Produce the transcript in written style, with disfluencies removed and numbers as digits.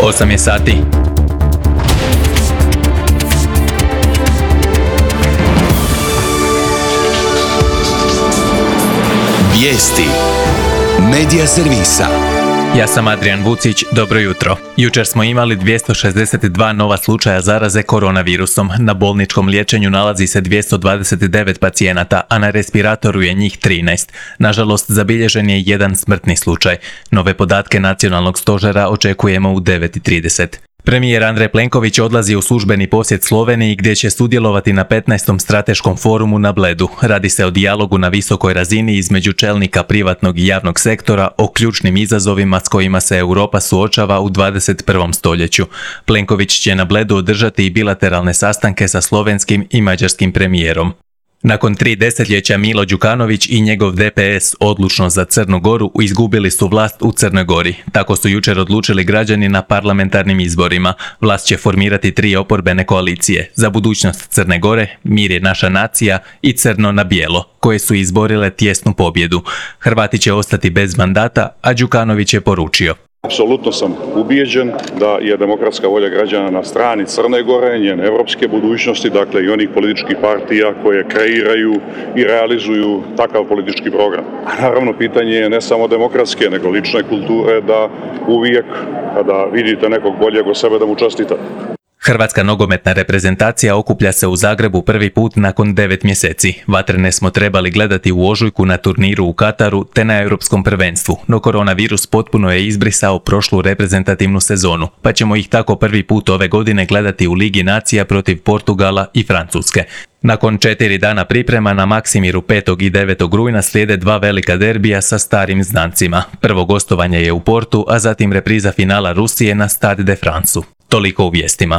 8 je sati. Vijesti Medija servisa. Ja sam Adrian Vucić, dobro jutro. Jučer smo imali 262 nova slučaja zaraze koronavirusom. Na bolničkom liječenju nalazi se 229 pacijenata, a na respiratoru je njih 13. Nažalost, zabilježen je jedan smrtni slučaj. Nove podatke nacionalnog stožera očekujemo u 9:30. Premijer Andrej Plenković odlazi u službeni posjet Sloveniji gdje će sudjelovati na 15. strateškom forumu na Bledu. Radi se o dijalogu na visokoj razini između čelnika privatnog i javnog sektora o ključnim izazovima s kojima se Europa suočava u 21. stoljeću. Plenković će na Bledu održati i bilateralne sastanke sa slovenskim i mađarskim premijerom. Nakon 3 desetljeća Milo Đukanović i njegov DPS odlučno za Crnu Goru izgubili su vlast u Crnoj Gori. Tako su jučer odlučili građani na parlamentarnim izborima. Vlast će formirati 3 oporbene koalicije: Za budućnost Crne Gore, Mir je naša nacija i Crno na bijelo, koje su izborile tjesnu pobjedu. Hrvati će ostati bez mandata, a Đukanović je poručio: Apsolutno sam ubijeđen da je demokratska volja građana na strani Crne Gore, njene evropske budućnosti, dakle i onih političkih partija koje kreiraju i realizuju takav politički program. A naravno pitanje je ne samo demokratske, nego lične kulture, da uvijek kada vidite nekog boljeg od sebe da mu čestitate. Hrvatska nogometna reprezentacija okuplja se u Zagrebu prvi put nakon 9 mjeseci. Vatrene smo trebali gledati u ožujku na turniru u Kataru te na europskom prvenstvu, no koronavirus potpuno je izbrisao prošlu reprezentativnu sezonu, pa ćemo ih tako prvi put ove godine gledati u Ligi nacija protiv Portugala i Francuske. Nakon 4 dana priprema na Maksimiru 5. i 9. rujna slijede 2 velika derbija sa starim znancima. Prvo gostovanje je u Portu, a zatim repriza finala Rusije na Stade de France. Toliko u vijestima.